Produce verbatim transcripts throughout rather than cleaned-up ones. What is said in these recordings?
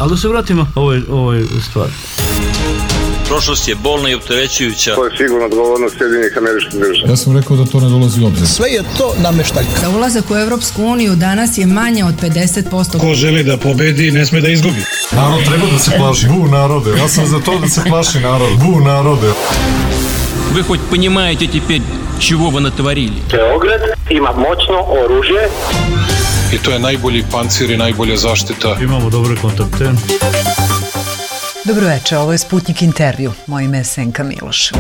Ali da se vratimo ovoj, ovoj stvari. Prošlost je bolna i opterećujuća. To je sigurno odgovornost Sjedinjenih Američkih Država. Ja sam rekao da to ne dolazi u obzir. Sve je to nameštaljka. Za ulazak u Evropsku uniju danas je manje od pedeset posto. Ko želi da pobedi, ne sme da izgubi. Narod treba da se plaši. Bu narode. Ja sam za to da se plaši narod. Bu narode. Вы хоть понимаете теперь, чего вы натворили? Beograd ima moćno oružje. I to je najbolji pancir i najbolja zaštita. Imamo dobre kontakte. Dobro večer, ovo je Sputnik intervju. Moje ime je Senka Miloš.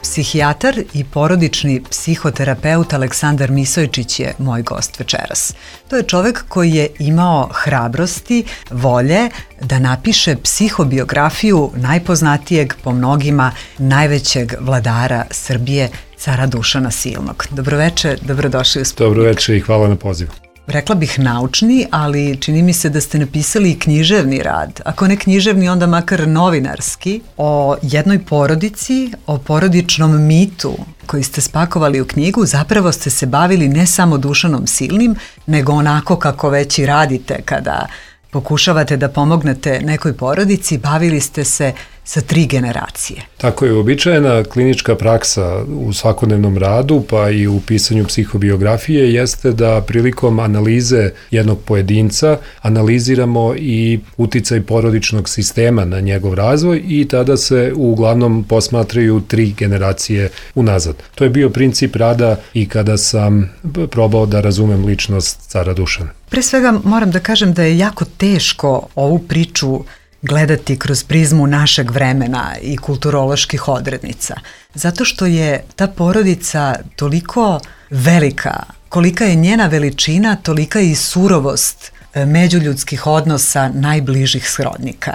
Psihijatar i porodični psihoterapeut Aleksandar Misojičić je moj gost večeras. To je čovek koji je imao hrabrosti, volje da napiše psihobiografiju najpoznatijeg po mnogima najvećeg vladara Srbije, cara Dušana Silnog. Dobroveče, dobrodošli u Sputnik. Dobroveče i hvala na pozivu. Rekla bih naučni, ali čini mi se da ste napisali i književni rad. Ako ne književni, onda makar novinarski, o jednoj porodici, o porodičnom mitu koji ste spakovali u knjigu. Zapravo ste se bavili ne samo Dušanom Silnim, nego onako kako već i radite kada pokušavate da pomognete nekoj porodici, bavili ste se sa tri generacije. Tako je, uobičajena klinička praksa u svakodnevnom radu, pa i u pisanju psihobiografije, jeste da prilikom analize jednog pojedinca analiziramo i uticaj porodičnog sistema na njegov razvoj i tada se uglavnom posmatraju tri generacije unazad. To je bio princip rada i kada sam probao da razumem ličnost cara Dušana. Pre svega moram da kažem da je jako teško ovu priču gledati kroz prizmu našeg vremena i kulturoloških odrednica. Zato što je ta porodica toliko velika, kolika je njena veličina, tolika je i surovost međuljudskih odnosa najbližih srodnika.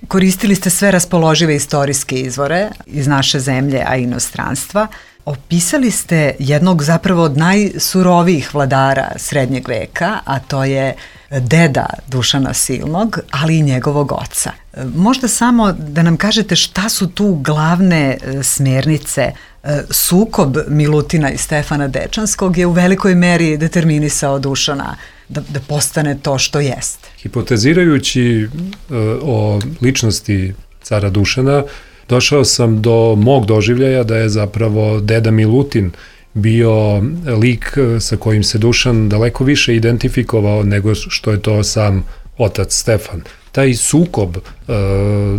Koristili ste sve raspoložive istorijske izvore iz naše zemlje, a i inostranstva. Opisali ste jednog zapravo od najsurovijih vladara srednjeg veka, a to je deda Dušana Silnog, ali i njegovog oca. Možda samo da nam kažete šta su tu glavne smernice. Sukob Milutina i Stefana Dečanskog je u velikoj meri determinisao Dušana da, da postane to što jeste. Hipotezirajući o ličnosti cara Dušana, došao sam do mog doživljaja da je zapravo deda Milutin bio lik sa kojim se Dušan daleko više identifikovao nego što je to sam otac Stefan. Taj sukob e,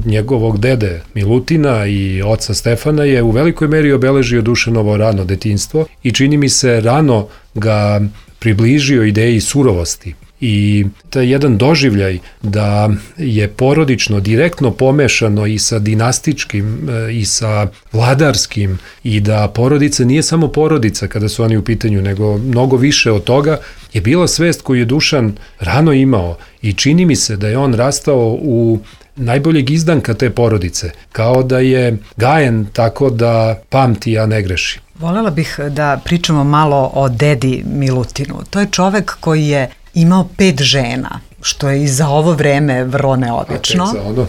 njegovog dede Milutina i oca Stefana je u velikoj meri obeležio Dušanovo rano detinjstvo i čini mi se rano ga približio ideji surovosti. I taj jedan doživljaj da je porodično direktno pomešano i sa dinastičkim i sa vladarskim i da porodica nije samo porodica kada su oni u pitanju, nego mnogo više od toga, je bila svest koju je Dušan rano imao i čini mi se da je on rastao u najboljeg izdanka te porodice, kao da je gajen tako da pamti, a ne greši. Volela bih da pričamo malo o dedi Milutinu. To je čovek koji je imao pet žena, što je i za ovo vreme vrlo neobično. A tek za ono.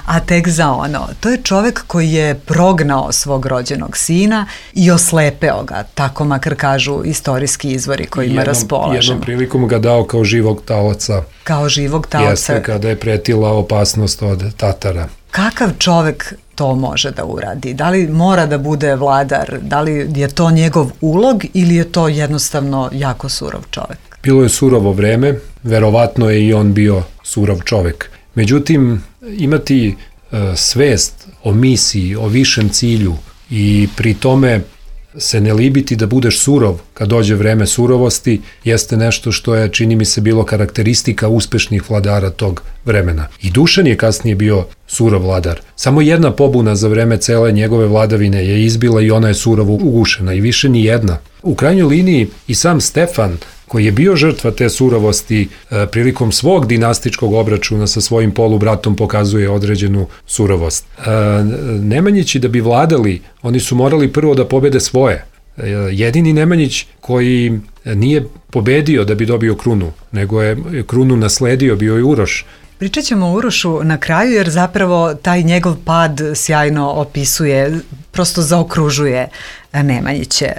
A tek za ono. To je čovek koji je prognao svog rođenog sina i oslepeo ga, tako makar kažu istorijski izvori kojima raspolažemo. Jednom prilikom ga dao kao živog taoca. Kao živog taoca. Jeste, kada je pretila opasnost od Tatara. Kakav čovek to može da uradi? Da li mora da bude vladar? Da li je to njegov ulog ili je to jednostavno jako surov čovek? Bilo je surovo vreme, verovatno je i on bio surov čovek. Međutim, imati e, svest o misiji, o višem cilju i pri tome se ne libiti da budeš surov kad dođe vreme surovosti, jeste nešto što je, čini mi se, bilo karakteristika uspešnih vladara tog vremena. I Dušan je kasnije bio surov vladar. Samo jedna pobuna za vreme cele njegove vladavine je izbila i ona je surovo ugušena i više ni jedna. U krajnjoj liniji i sam Stefan, koji je bio žrtva te surovosti, e, prilikom svog dinastičkog obračuna sa svojim polubratom pokazuje određenu surovost. E, Nemanjići da bi vladali, oni su morali prvo da pobede svoje. E, jedini Nemanjić koji nije pobedio da bi dobio krunu, nego je krunu nasledio, bio je Uroš. Pričat ćemo o Urošu na kraju, jer zapravo taj njegov pad sjajno opisuje, prosto zaokružuje Nemanjiće.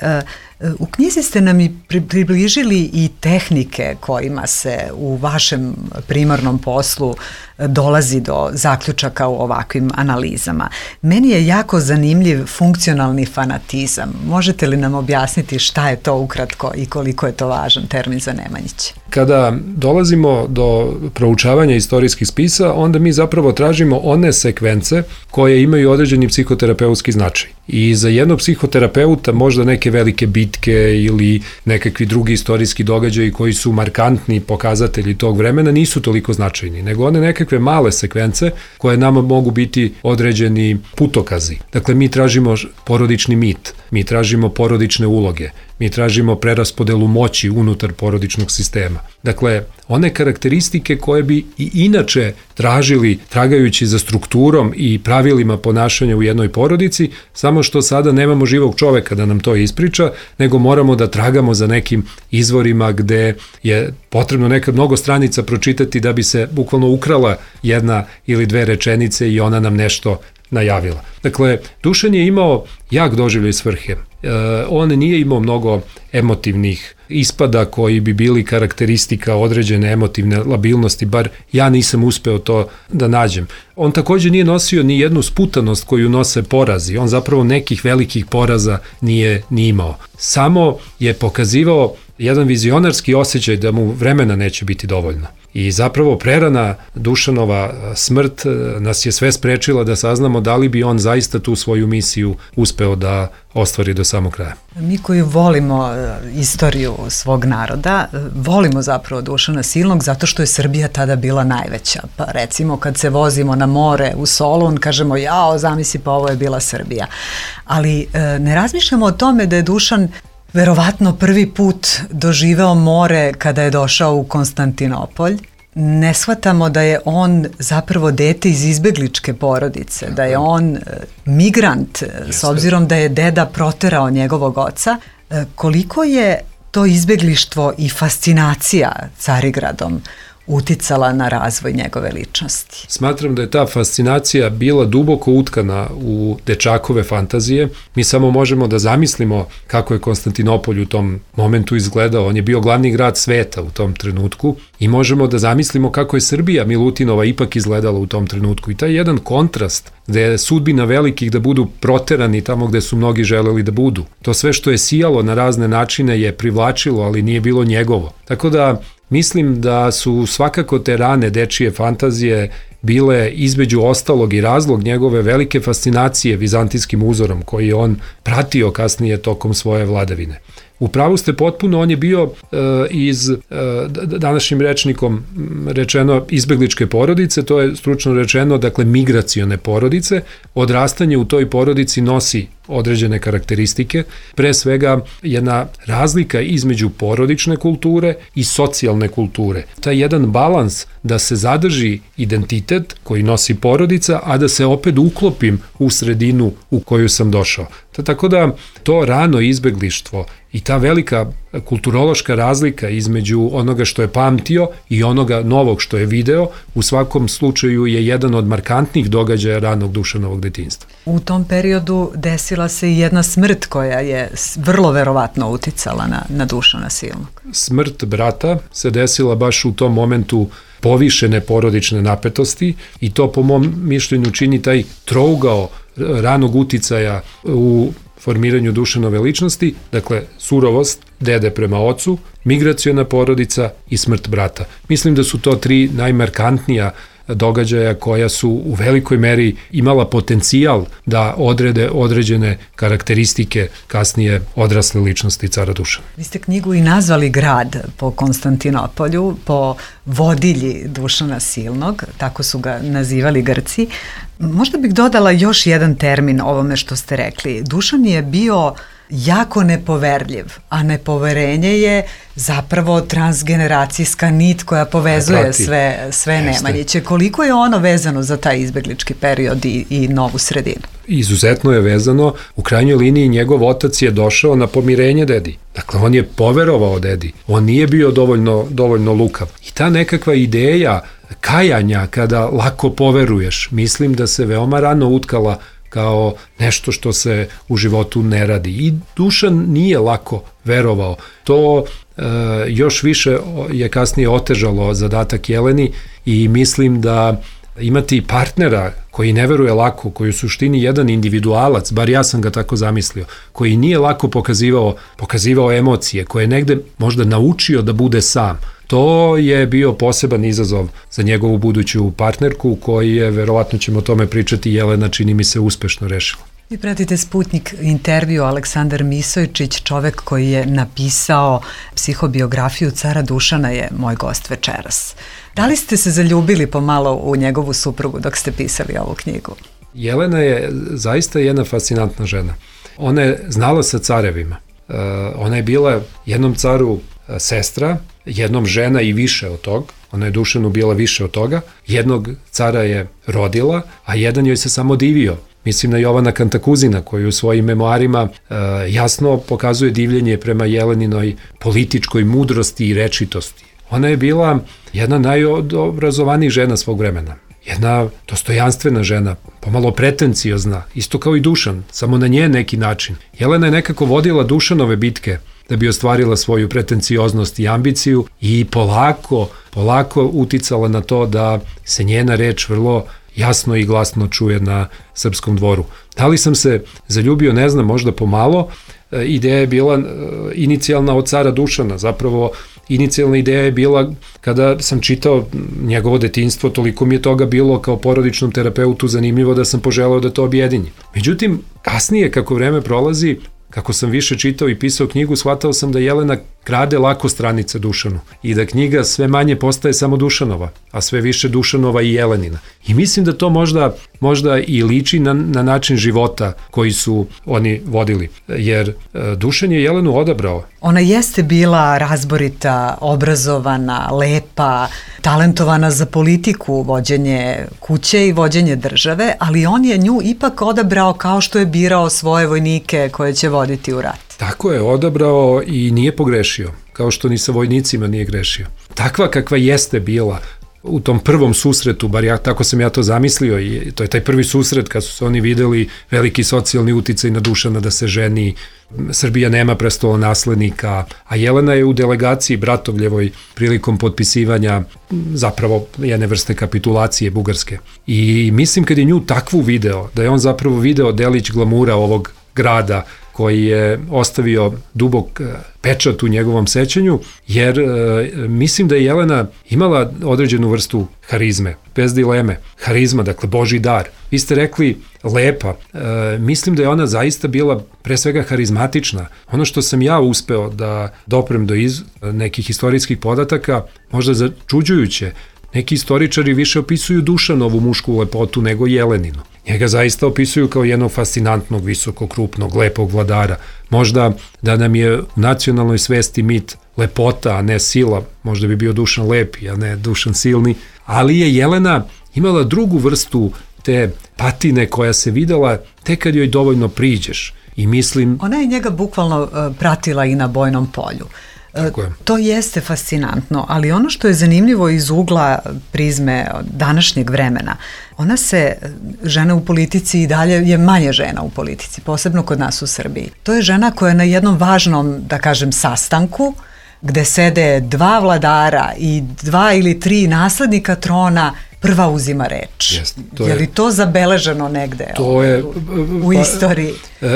U knjizi ste nam i približili i tehnike kojima se u vašem primarnom poslu dolazi do zaključaka u ovakvim analizama. Meni je jako zanimljiv funkcionalni fanatizam. Možete li nam objasniti šta je to ukratko i koliko je to važan termin za Nemanjića? Kada dolazimo do proučavanja istorijskih spisa, onda mi zapravo tražimo one sekvence koje imaju određeni psihoterapeutski značaj. I za jednog psihoterapeuta možda neke velike bitke ili nekakvi drugi istorijski događaji koji su markantni pokazatelji tog vremena nisu toliko značajni, nego one nekakve male sekvence koje nama mogu biti određeni putokazi. Dakle, mi tražimo porodični mit, mi tražimo porodične uloge, mi tražimo preraspodelu moći unutar porodičnog sistema. Dakle, one karakteristike koje bi i inače tražili tragajući za strukturom i pravilima ponašanja u jednoj porodici, samo što sada nemamo živog čoveka da nam to ispriča, nego moramo da tragamo za nekim izvorima gde je potrebno nekad mnogo stranica pročitati da bi se bukvalno ukrala jedna ili dve rečenice i ona nam nešto najavila. Dakle, Dušan je imao jak doživljaj svrhe. E, on nije imao mnogo emotivnih ispada koji bi bili karakteristika određene emotivne labilnosti, bar ja nisam uspeo to da nađem. On takođe nije nosio ni jednu sputanost koju nose porazi, on zapravo nekih velikih poraza nije ni imao. Samo je pokazivao jedan vizionarski osjećaj da mu vremena neće biti dovoljno. I zapravo prerana Dušanova smrt nas je sve sprečila da saznamo da li bi on zaista tu svoju misiju uspeo da ostvari do samog kraja. Mi koji volimo istoriju svog naroda, volimo zapravo Dušana Silnog zato što je Srbija tada bila najveća. Pa recimo kad se vozimo na more u Solun, kažemo jao, zamisli pa ovo je bila Srbija. Ali ne razmišljamo o tome da je Dušan verovatno prvi put doživeo more kada je došao u Konstantinopolj. Ne shvatamo da je on zapravo dete iz izbegličke porodice, da je on migrant, s obzirom da je deda proterao njegovog oca. Koliko je to izbeglištvo i fascinacija Carigradom uticala na razvoj njegove ličnosti? Smatram da je ta fascinacija bila duboko utkana u dečakove fantazije. Mi samo možemo da zamislimo kako je Konstantinopolj u tom momentu izgledao. On je bio glavni grad sveta u tom trenutku i možemo da zamislimo kako je Srbija Milutinova ipak izgledala u tom trenutku. I taj jedan kontrast gde je sudbina velikih da budu proterani tamo gde su mnogi želeli da budu. To sve što je sijalo na razne načine je privlačilo, ali nije bilo njegovo. Tako da mislim da su svakako te rane dečije fantazije bile između ostalog i razlog njegove velike fascinacije vizantijskim uzorom koji je on pratio kasnije tokom svoje vladavine. U pravu ste potpuno, on je bio e, iz e, današnjim rečnikom rečeno izbegličke porodice, to je stručno rečeno, dakle migracione porodice. Odrastanje u toj porodici nosi određene karakteristike, pre svega jedna razlika između porodične kulture i socijalne kulture. Taj jedan balans da se zadrži identitet koji nosi porodica, a da se opet uklopim u sredinu u koju sam došao. Tako da to rano izbeglištvo i ta velika kulturološka razlika između onoga što je pamtio i onoga novog što je video, u svakom slučaju je jedan od markantnih događaja ranog Dušanovog detinjstva. U tom periodu desila se i jedna smrt koja je vrlo verovatno uticala na, na Dušana Silnog. Smrt brata se desila baš u tom momentu povišene porodične napetosti i to po mom mišljenju čini taj trougao ranog uticaja u formiranju Dušanove ličnosti, dakle surovost dede prema ocu, migraciona porodica i smrt brata. Mislim da su to tri najmarkantnija događaja koja su u velikoj meri imala potencijal da odrede određene karakteristike kasnije odrasle ličnosti cara Dušana. Vi ste knjigu i nazvali grad po Konstantinopolju, po vodilji Dušana Silnog, tako su ga nazivali Grci. Možda bih dodala još jedan termin ovome što ste rekli. Dušan je bio jako nepoverljiv, a nepoverenje je zapravo transgeneracijska nit koja povezuje Prati. sve, sve Nemanjiće. Koliko je ono vezano za taj izbeglički period i, i novu sredinu? Izuzetno je vezano. U krajnjoj liniji njegov otac je došao na pomirenje dedi. Dakle, on je poverovao dedi. On nije bio dovoljno, dovoljno lukav. I ta nekakva ideja kajanja kada lako poveruješ, mislim da se veoma rano utkala kao nešto što se u životu ne radi. I Dušan nije lako verovao. To e, još više je kasnije otežalo zadatak Jeleni i mislim da imati partnera koji ne veruje lako, koji u suštini jedan individualac, bar ja sam ga tako zamislio, koji nije lako pokazivao, pokazivao emocije, koje je negde možda naučio da bude sam. To je bio poseban izazov za njegovu buduću partnerku, koji je, verovatno ćemo o tome pričati, Jelena čini mi se uspešno rešila. Vi pratite Sputnik intervju. Aleksandar Misojčić, čovek koji je napisao psihobiografiju cara Dušana, je moj gost večeras. Da li ste se zaljubili pomalo u njegovu suprugu dok ste pisali ovu knjigu? Jelena je zaista jedna fascinantna žena. Ona je znala sa carevima. Ona je bila jednom caru sestra, jednom žena i više od tog. Ona je Dušanu bila više od toga. Jednog cara je rodila, a jedan joj se samo divio. Mislim na Jovana Kantakuzina, koji u svojim memoarima e, jasno pokazuje divljenje prema Jeleninoj političkoj mudrosti i rečitosti. Ona je bila jedna najobrazovanijih žena svog vremena. Jedna dostojanstvena žena, pomalo pretenciozna, isto kao i Dušan, samo na nje neki način. Jelena je nekako vodila Dušanove bitke da bi ostvarila svoju pretencioznost i ambiciju i polako, polako uticala na to da se njena reč vrlo jasno i glasno čuje na srpskom dvoru. Da li sam se zaljubio, ne znam, možda pomalo. Ideja je bila inicijalna od cara Dušana, zapravo inicijalna ideja je bila kada sam čitao njegovo detinjstvo, toliko mi je toga bilo kao porodičnom terapeutu zanimljivo da sam poželeo da to objedinjim. Međutim, kasnije kako vreme prolazi, kako sam više čitao i pisao knjigu, shvatao sam da Jelena krade lako stranice Dušanu i da knjiga sve manje postaje samo Dušanova, a sve više Dušanova i Jelenina. I mislim da to možda, možda i liči na, na način života koji su oni vodili, jer e, Dušan je Jelenu odabrao. Ona jeste bila razborita, obrazovana, lepa, talentovana za politiku, vođenje kuće i vođenje države, ali on je nju ipak odabrao kao što je birao svoje vojnike koje će voditi u rat. Tako je, odabrao i nije pogrešio, kao što ni sa vojnicima nije grešio. Takva kakva jeste bila u tom prvom susretu, bar ja, tako sam ja to zamislio, i to je taj prvi susret kad su se oni videli, veliki socijalni uticaj na Dušana da se ženi, Srbija nema prestolonaslednika, a Jelena je u delegaciji Bratovljevoj prilikom potpisivanja zapravo jedne vrste kapitulacije Bugarske. I mislim kad je nju takvu video, da je on zapravo video delić glamura ovog grada koji je ostavio dubok pečat u njegovom sećanju, jer e, mislim da je Jelena imala određenu vrstu harizme, bez dileme. Harizma, dakle, Božji dar. Vi ste rekli lepa. E, mislim da je ona zaista bila pre svega harizmatična. Ono što sam ja uspeo da doprem do iz nekih istorijskih podataka, možda začuđujuće, neki istoričari više opisuju Dušanovu mušku lepotu nego Jeleninu. Njega zaista opisuju kao jednog fascinantnog, visokog, krupnog, lepog vladara. Možda da nam je u nacionalnoj svesti mit lepota, a ne sila, možda bi bio Dušan lepi, a ne Dušan silni, ali je Jelena imala drugu vrstu te patine koja se videla tek kad joj dovoljno priđeš. I mislim... Ona je njega bukvalno uh, pratila i na bojnom polju. Tako je. To jeste fascinantno, ali ono što je zanimljivo iz ugla prizme današnjeg vremena, ona se, žena u politici i dalje je manje žena u politici, posebno kod nas u Srbiji. To je žena koja je na jednom važnom, da kažem, sastanku, gde sede dva vladara i dva ili tri naslednika trona, prva uzima reč. Jest, je li to zabeleženo negde to je, u, u pa, istoriji?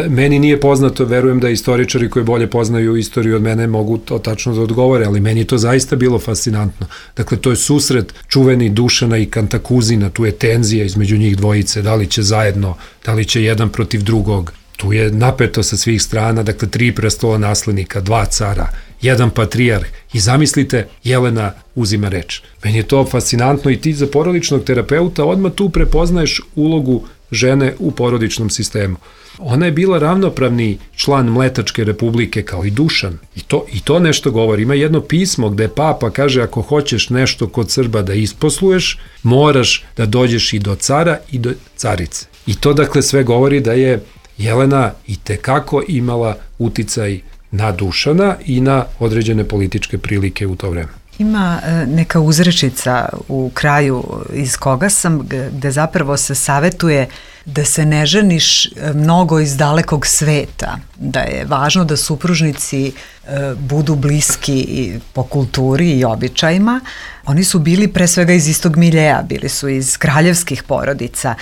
Meni nije poznato, verujem da istoričari koji bolje poznaju istoriju od mene mogu to tačno da odgovore, ali meni to zaista bilo fascinantno. Dakle, to je susret čuveni Dušana i Kantakuzina, tu je tenzija između njih dvojice, da li će zajedno, da li će jedan protiv drugog. Tu je napeto sa svih strana, dakle, tri prestola naslednika, dva cara, jedan patrijarh i zamislite, Jelena uzima reč. Meni je to fascinantno i ti za porodičnog terapeuta odmah tu prepoznaješ ulogu žene u porodičnom sistemu. Ona je bila ravnopravni član Mletačke republike kao i Dušan. I to, i to nešto govori. Ima jedno pismo gde papa kaže ako hoćeš nešto kod Srba da isposluješ, moraš da dođeš i do cara i do carice. I to dakle sve govori da je Jelena i tekako imala uticaj na Dušana i na određene političke prilike u to vreme. Ima neka uzrečica u kraju iz koga sam, gde zapravo se savetuje da se ne ženiš mnogo iz dalekog sveta, da je važno da supružnici budu bliski po kulturi i običajima. Oni su bili pre svega iz istog miljeja, bili su iz kraljevskih porodica,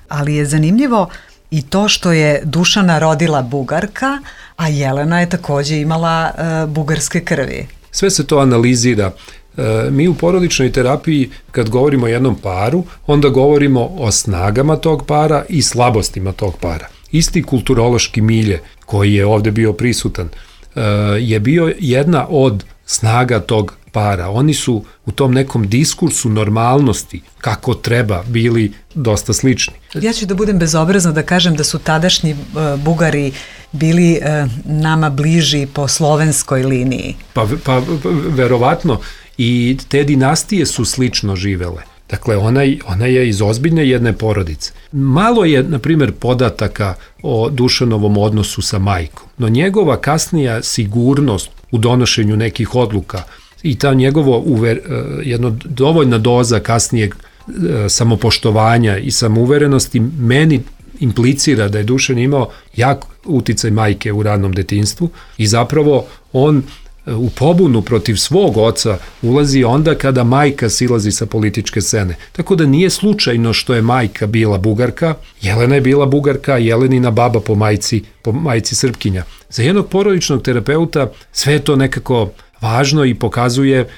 ali je zanimljivo i to što je Dušana rodila Bugarka, a Jelena je takođe imala bugarske krvi. Sve se to analizira. Mi u porodičnoj terapiji kad govorimo o jednom paru, onda govorimo o snagama tog para i slabostima tog para. Isti kulturološki milje koji je ovde bio prisutan je bio jedna od snaga tog para. Oni su u tom nekom diskursu normalnosti, kako treba, bili dosta slični. Ja ću da budem bezobrazna da kažem da su tadašnji uh, Bugari bili uh, nama bliži po slovenskoj liniji. Pa, pa verovatno i te dinastije su slično živele. Dakle, ona, ona je iz ozbiljne jedne porodice. Malo je, na primjer, podataka o Dušanovom odnosu sa majkom, no njegova kasnija sigurnost u donošenju nekih odluka i ta njegovo uver, jedno dovoljna doza kasnijeg samopoštovanja i samouverenosti meni implicira da je Dušan imao jak uticaj majke u ranom detinjstvu i zapravo on u pobunu protiv svog oca ulazi onda kada majka silazi sa političke scene. Tako da nije slučajno što je majka bila Bugarka, Jelena je bila Bugarka, Jelenina baba po majci, po majci Srpkinja. Za jednog porodičnog terapeuta sve je to nekako važno i pokazuje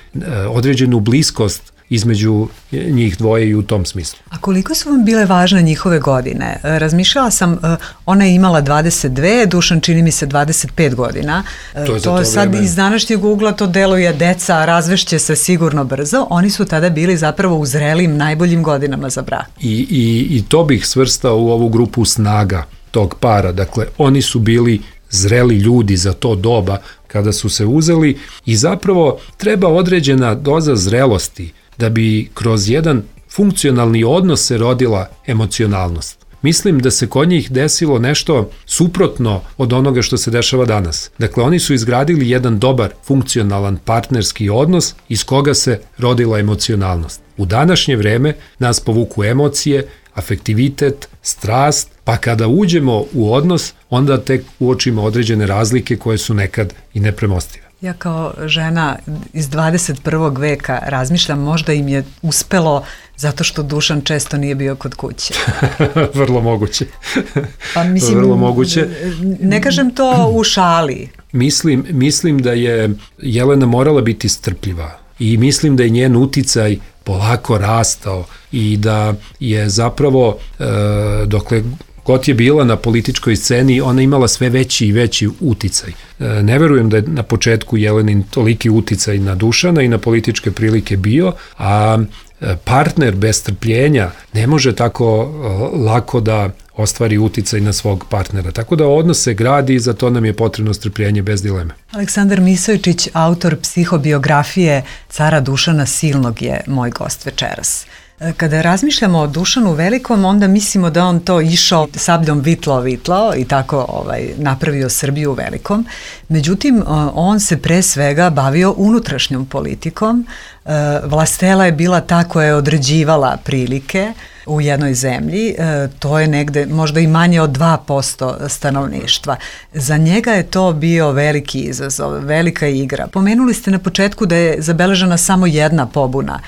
određenu bliskost između njih dvoje i u tom smislu. A koliko su vam bile važne njihove godine? Razmišljala sam, ona je imala dvadeset dve, Dušan čini mi se dvadeset pet godina. To je za to, to sad vreme. Iz današnjeg ugla to deluje deca, razvešće se sigurno brzo. Oni su tada bili zapravo u zrelim, najboljim godinama za brak. I, i, i to bih svrstao u ovu grupu snaga tog para. Dakle, oni su bili zreli ljudi za to doba kada su se uzeli i zapravo treba određena doza zrelosti da bi kroz jedan funkcionalni odnos se rodila emocionalnost. Mislim da se kod njih desilo nešto suprotno od onoga što se dešava danas. Dakle, oni su izgradili jedan dobar, funkcionalan partnerski odnos iz koga se rodila emocionalnost. U današnje vreme nas povuku emocije, afektivitet, strast, pa kada uđemo u odnos, onda tek uočimo određene razlike koje su nekad i nepremostive. Ja kao žena iz dvadeset prvog veka razmišljam, možda im je uspelo zato što Dušan često nije bio kod kuće. Vrlo moguće. Pa mislim, Vrlo moguće. Ne kažem to u šali. Mislim, mislim da je Jelena morala biti strpljiva i mislim da je njen uticaj polako rastao i da je zapravo e, dokle god je bila na političkoj sceni, ona imala sve veći i veći uticaj. Ne verujem da je na početku Jelenin toliki uticaj na Dušana i na političke prilike bio, a partner bez strpljenja ne može tako lako da ostvari uticaj na svog partnera. Tako da odnos se gradi i za to nam je potrebno strpljenje bez dileme. Aleksandar Misojčić, autor psihobiografije cara Dušana Silnog, je moj gost večeras. Kada razmišljamo o Dušanu Velikom, onda mislimo da on to išao sabljom vitlao, vitlao i tako ovaj, napravio Srbiju velikom. Međutim, on se pre svega bavio unutrašnjom politikom. Vlastela je bila ta koja je određivala prilike u jednoj zemlji, to je negde možda i manje od dva posto stanovništva. Za njega je to bio veliki izazov, velika igra. Pomenuli ste na početku da je zabeležena samo jedna pobuna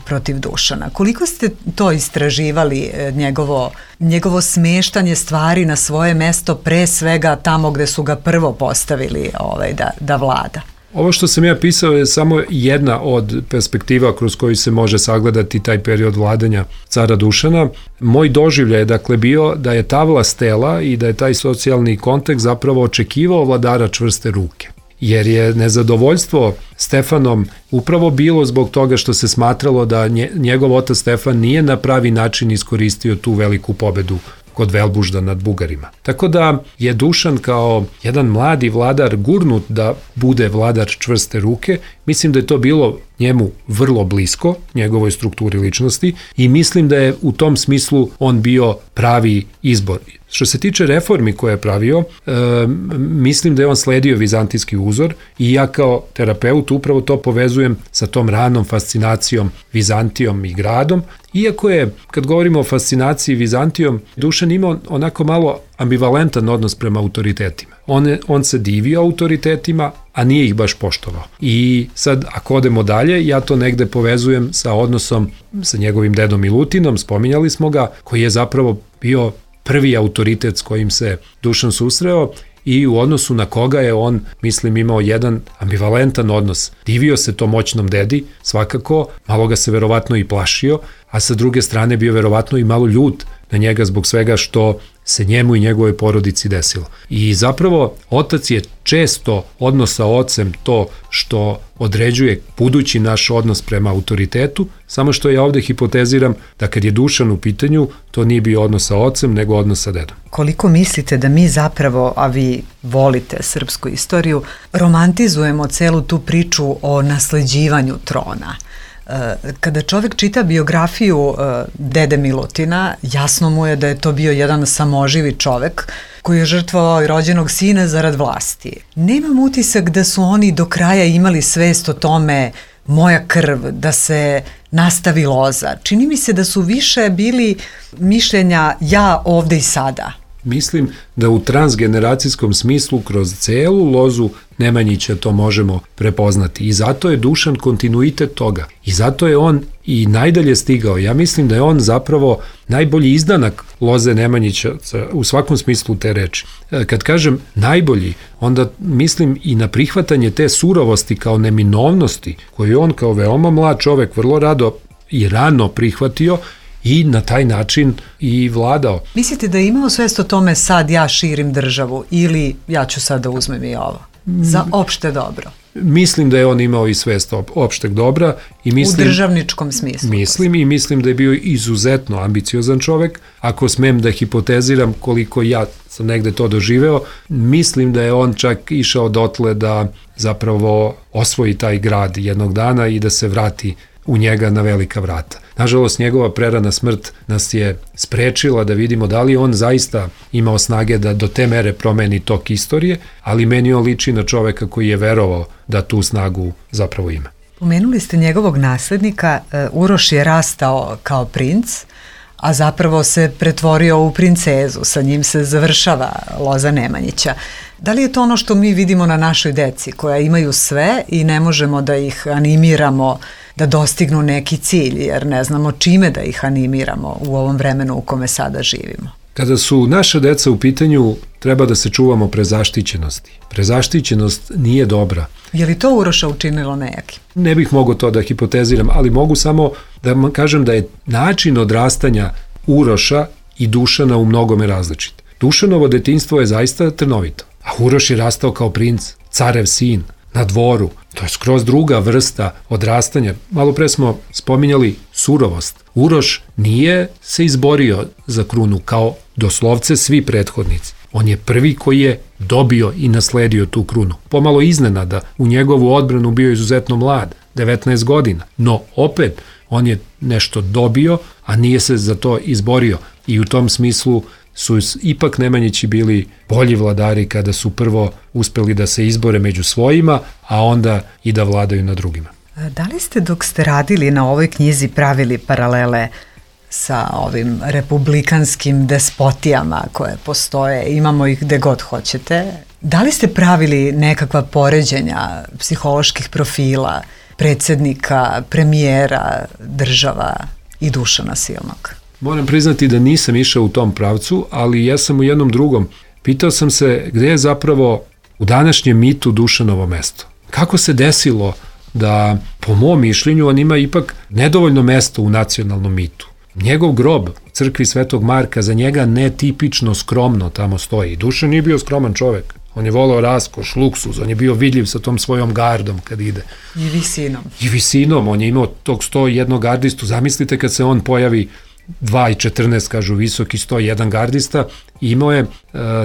protiv Dušana. Koliko ste to istraživali, njegovo, njegovo smeštanje stvari na svoje mesto, pre svega tamo gde su ga prvo postavili ovaj, da, da vlada? Ovo što sam ja pisao je samo jedna od perspektiva kroz koju se može sagledati taj period vladanja cara Dušana. Moj doživljaj je dakle bio da je ta vlastela i da je taj socijalni kontekst zapravo očekivao vladara čvrste ruke. Jer je nezadovoljstvo Stefanom upravo bilo zbog toga što se smatralo da njegov otac Stefan nije na pravi način iskoristio tu veliku pobedu kod Velbužda nad Bugarima. Tako da je Dušan kao jedan mladi vladar gurnut da bude vladar čvrste ruke. Mislim da je to bilo njemu vrlo blisko, njegovoj strukturi ličnosti, i mislim da je u tom smislu on bio pravi izbor. Što se tiče reformi koje je pravio, e, mislim da je on sledio vizantijski uzor i ja kao terapeut upravo to povezujem sa tom ranom fascinacijom Vizantijom i gradom. Iako je, kad govorimo o fascinaciji Vizantijom, Dušan imao onako malo ambivalentan odnos prema autoritetima. On, je, on se divio autoritetima, a nije ih baš poštovao. I sad, ako odemo dalje, ja to negde povezujem sa odnosom sa njegovim dedom Milutinom, spominjali smo ga, koji je zapravo bio prvi autoritet s kojim se Dušan susreo i u odnosu na koga je on, mislim, imao jedan ambivalentan odnos. Divio se to moćnom dedi, svakako, malo ga se verovatno i plašio, a sa druge strane bio verovatno i malo ljut na njega zbog svega što se njemu i njegovoj porodici desilo. I zapravo otac je često odnos sa ocem to što određuje budući naš odnos prema autoritetu, samo što ja ovde hipoteziram da kad je Dušan u pitanju, to nije bio odnos sa ocem, nego odnos sa dedom. Koliko mislite da mi zapravo, a vi volite srpsku istoriju, romantizujemo celu tu priču o nasleđivanju trona? Kada čovek čita biografiju dede Milutina, jasno mu je da je to bio jedan samoživi čovek koji je žrtvovao i rođenog sina zarad vlasti. Nemam utisak da su oni do kraja imali svest o tome moja krv, da se nastavi loza. Čini mi se da su više bili mišljenja ja ovde i sada. Mislim da u transgeneracijskom smislu kroz celu lozu Nemanjića to možemo prepoznati i zato je Dušan kontinuitet toga i zato je on i najdalje stigao. Ja mislim da je on zapravo najbolji izdanak loze Nemanjića u svakom smislu te reči. Kad kažem najbolji, onda mislim i na prihvatanje te surovosti kao neminovnosti koju on kao veoma mlad čovek vrlo rado i rano prihvatio i na taj način i vladao. Mislite da je imao svest o tome sad ja širim državu ili ja ću sad da uzmem i ovo? Za opšte dobro. Mislim da je on imao i svest opšteg dobra. I mislim, u državničkom smislu. Mislim i mislim da je bio izuzetno ambiciozan čovek. Ako smem da hipoteziram koliko ja sam negde to doživeo, mislim da je on čak išao dotle da zapravo osvoji taj grad jednog dana i da se vrati u njega na velika vrata. Nažalost, njegova prerana smrt nas je sprečila da vidimo da li on zaista imao snage da do te mere promeni tok istorije, ali meni on liči na čoveka koji je verovao da tu snagu zapravo ima. Pomenuli ste njegovog naslednika, Uroš je rastao kao princ, a zapravo se pretvorio u princezu, sa njim se završava loza Nemanjića. Da li je to ono što mi vidimo na našoj deci, koja imaju sve i ne možemo da ih animiramo da dostignu neki cilj, jer ne znamo čime da ih animiramo u ovom vremenu u kome sada živimo? Kada su naša deca u pitanju, treba da se čuvamo prezaštićenosti. Prezaštićenost nije dobra. Je li to Uroša učinilo nejaki? Ne bih mogao to da hipoteziram, ali mogu samo da kažem da je način odrastanja Uroša i Dušana u mnogome različit. Dušanovo detinjstvo je zaista trnovito, a Uroš je rastao kao princ, carev sin, na dvoru. To je skroz druga vrsta odrastanja. Malo pre smo spominjali surovost. Uroš nije se izborio za krunu kao doslovce svi prethodnici. On je prvi koji je dobio i nasledio tu krunu. Pomalo iznenada, u njegovu odbranu bio izuzetno mlad, devetnaest godina. No opet, on je nešto dobio, a nije se za to izborio. I u tom smislu su ipak Nemanjići bili bolji vladari kada su prvo uspeli da se izbore među svojima, a onda i da vladaju na drugima. Da li ste dok ste radili na ovoj knjizi pravili paralele sa ovim republikanskim despotijama koje postoje, imamo ih gde god hoćete? Da li ste pravili nekakva poređenja psiholoških profila predsjednika, premijera, država i Dušana Silnog? Moram priznati da nisam išao u tom pravcu, ali ja sam u jednom drugom. Pitao sam se gde je zapravo u današnjem mitu Dušanovo mesto. Kako se desilo da, po mom mišljenju, on ima ipak nedovoljno mesto u nacionalnom mitu. Njegov grob u crkvi Svetog Marka za njega netipično skromno tamo stoji. Dušan nije bio skroman čovek. On je volao raskoš, luksuz, on je bio vidljiv sa tom svojom gardom kad ide. I visinom. I visinom, on je imao tog sto jednog gardistu. Zamislite kad se on pojavi dva i četrnaest kažu visoki, sto jedan gardista, i imao je e,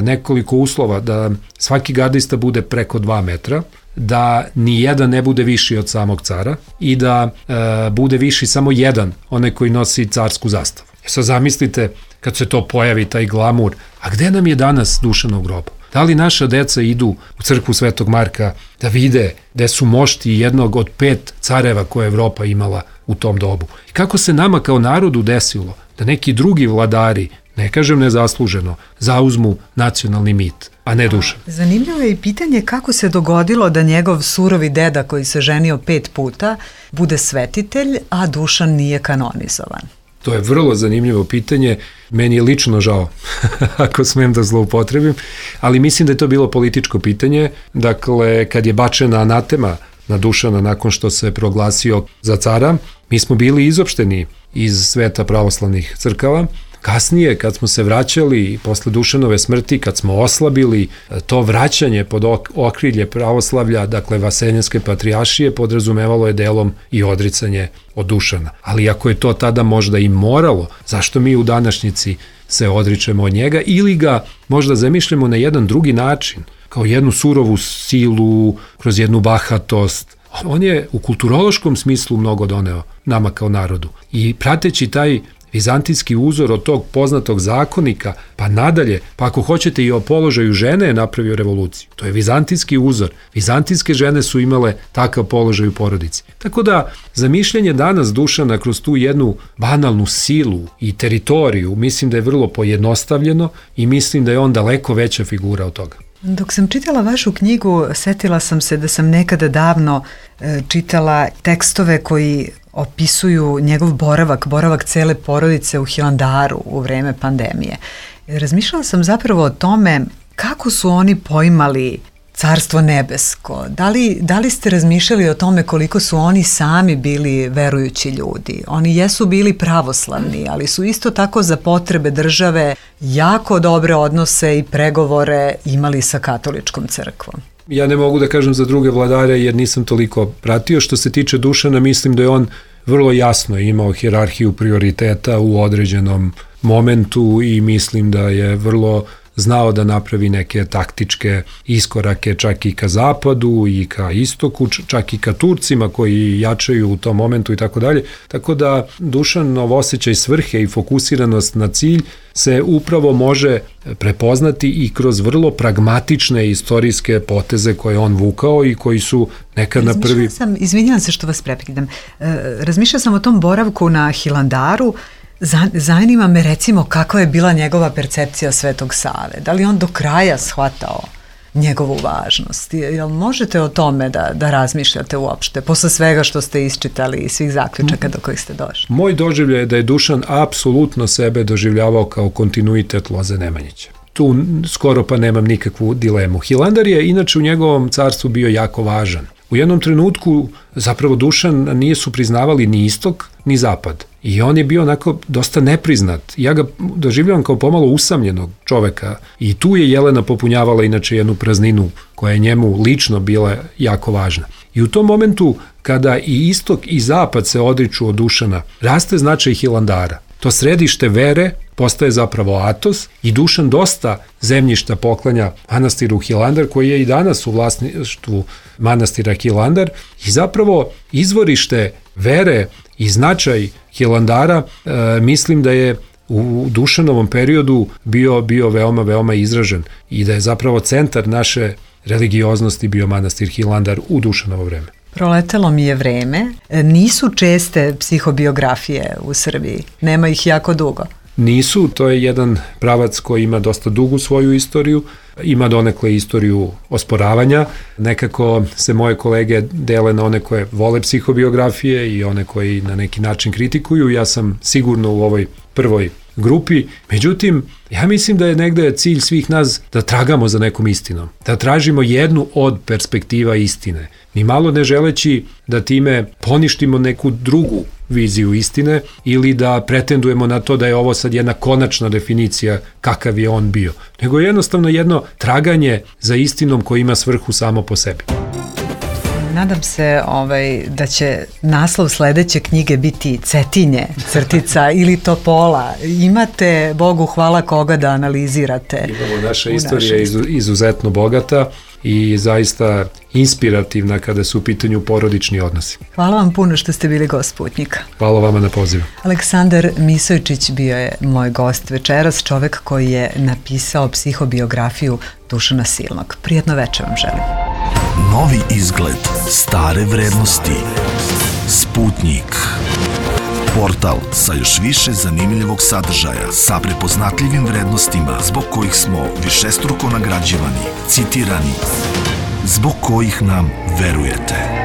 nekoliko uslova da svaki gardista bude preko dva metra, da ni jedan ne bude viši od samog cara i da e, bude viši samo jedan, onaj koji nosi carsku zastavu. E sad zamislite kad se to pojavi, taj glamur, a gde nam je danas Dušanov grob? Da li naša deca idu u crkvu Svetog Marka da vide gde su mošti jednog od pet careva koje je Evropa imala u tom dobu? I kako se nama kao narodu desilo da neki drugi vladari, ne kažem nezasluženo, zauzmu nacionalni mit, a ne Dušan? Zanimljivo je i pitanje kako se dogodilo da njegov surovi deda koji se ženio pet puta bude svetitelj, a Dušan nije kanonizovan. To je vrlo zanimljivo pitanje, meni je lično žao, ako smem da zloupotrebim, ali mislim da je to bilo političko pitanje. Dakle, kad je bačena anatema na Dušana nakon što se proglasio za cara, mi smo bili izopšteni iz sveta pravoslavnih crkava. Kasnije, kad smo se vraćali posle Dušanove smrti, kad smo oslabili, to vraćanje pod okrilje pravoslavlja, dakle Vaseljenske patrijaršije, podrazumevalo je delom i odricanje od Dušana. Ali ako je to tada možda i moralo, zašto mi u današnjici se odričemo od njega ili ga možda zamišljamo na jedan drugi način, kao jednu surovu silu, kroz jednu bahatost. On je u kulturološkom smislu mnogo doneo nama kao narodu. I prateći taj vizantijski uzor od tog poznatog zakonika, pa nadalje, pa ako hoćete i o položaju žene je napravio revoluciju. To je vizantijski uzor. Vizantijske žene su imale takav položaj u porodici. Tako da, zamišljanje danas Dušana kroz tu jednu banalnu silu i teritoriju, mislim da je vrlo pojednostavljeno i mislim da je on daleko veća figura od toga. Dok sam čitala vašu knjigu, setila sam se da sam nekada davno e, čitala tekstove koji opisuju njegov boravak, boravak cele porodice u Hilandaru u vreme pandemije. Razmišljala sam zapravo o tome kako su oni poimali Carstvo nebesko. Da li, da li ste razmišljali o tome koliko su oni sami bili verujući ljudi? Oni jesu bili pravoslavni, ali su isto tako za potrebe države jako dobre odnose i pregovore imali sa katoličkom crkvom. Ja ne mogu da kažem za druge vladare jer nisam toliko pratio. Što se tiče Dušana, mislim da je on vrlo jasno imao hijerarhiju prioriteta u određenom momentu i mislim da je vrlo znao da napravi neke taktičke iskorake čak i ka zapadu i ka istoku, čak i ka Turcima koji jačaju u tom momentu i tako dalje. Tako da Dušanov osjećaj svrhe i fokusiranost na cilj se upravo može prepoznati i kroz vrlo pragmatične istorijske poteze koje on vukao i koji su nekad na prvi... Sam, izvinjam se što vas preprekidam, razmišljala sam o tom boravku na Hilandaru. Zanima me recimo kakva je bila njegova percepcija Svetog Save. Da li on do kraja shvatao njegovu važnost? Jel možete o tome da, da razmišljate uopšte, posle svega što ste isčitali i svih zaključaka do kojih ste došli? Moj doživljaj je da je Dušan apsolutno sebe doživljavao kao kontinuitet Loze Nemanjića. Tu skoro pa nemam nikakvu dilemu. Hilandar je inače u njegovom carstvu bio jako važan. U jednom trenutku zapravo Dušan nije su priznavali ni istok ni zapad i on je bio onako dosta nepriznat. Ja ga doživljavam kao pomalo usamljenog čoveka i tu je Jelena popunjavala inače jednu prazninu koja je njemu lično bila jako važna. I u tom momentu kada i istok i zapad se odriču od Dušana, raste značaj Hilandara. To središte vere postaje zapravo Atos i Dušan dosta zemljišta poklanja manastiru Hilandar koji je i danas u vlasništvu manastira Hilandar i zapravo izvorište vere i značaj Hilandara e, mislim da je u Dušanovom periodu bio, bio veoma, veoma izražen i da je zapravo centar naše religioznosti bio manastir Hilandar u Dušanovo vreme. Proletelo mi je vreme. Nisu česte psihobiografije u Srbiji. Nema ih jako dugo. Nisu, to je jedan pravac koji ima dosta dugu svoju istoriju, ima donekle istoriju osporavanja. Nekako se moje kolege dele na one koje vole psihobiografije i one koji na neki način kritikuju. Ja sam sigurno u ovoj prvoj grupi. Međutim, ja mislim da je negde cilj svih nas da tragamo za nekom istinom, da tražimo jednu od perspektiva istine, ni malo ne želeći da time poništimo neku drugu viziju istine ili da pretendujemo na to da je ovo sad jedna konačna definicija kakav je on bio, nego jednostavno jedno traganje za istinom koji ima svrhu samo po sebi. Nadam se ovaj, da će naslov sledeće knjige biti Cetinje, crtica ili Topola. Imate, Bogu hvala, koga da analizirate. Imamo, naša istorija je izuzetno bogata i zaista inspirativna kada su u pitanju porodični odnosi. Hvala vam puno što ste bili gost Sputnjika. Hvala vama na pozivu. Aleksandar Misojčić bio je moj gost večeras, čovek koji je napisao psihobiografiju Dušana Silnog. Prijetno večer vam želim. Novi izgled, stare vrednosti. Sputnjik. Portal sa još više zanimljivog sadržaja, sa prepoznatljivim vrednostima zbog kojih smo višestruko nagrađivani, citirani, zbog kojih nam verujete.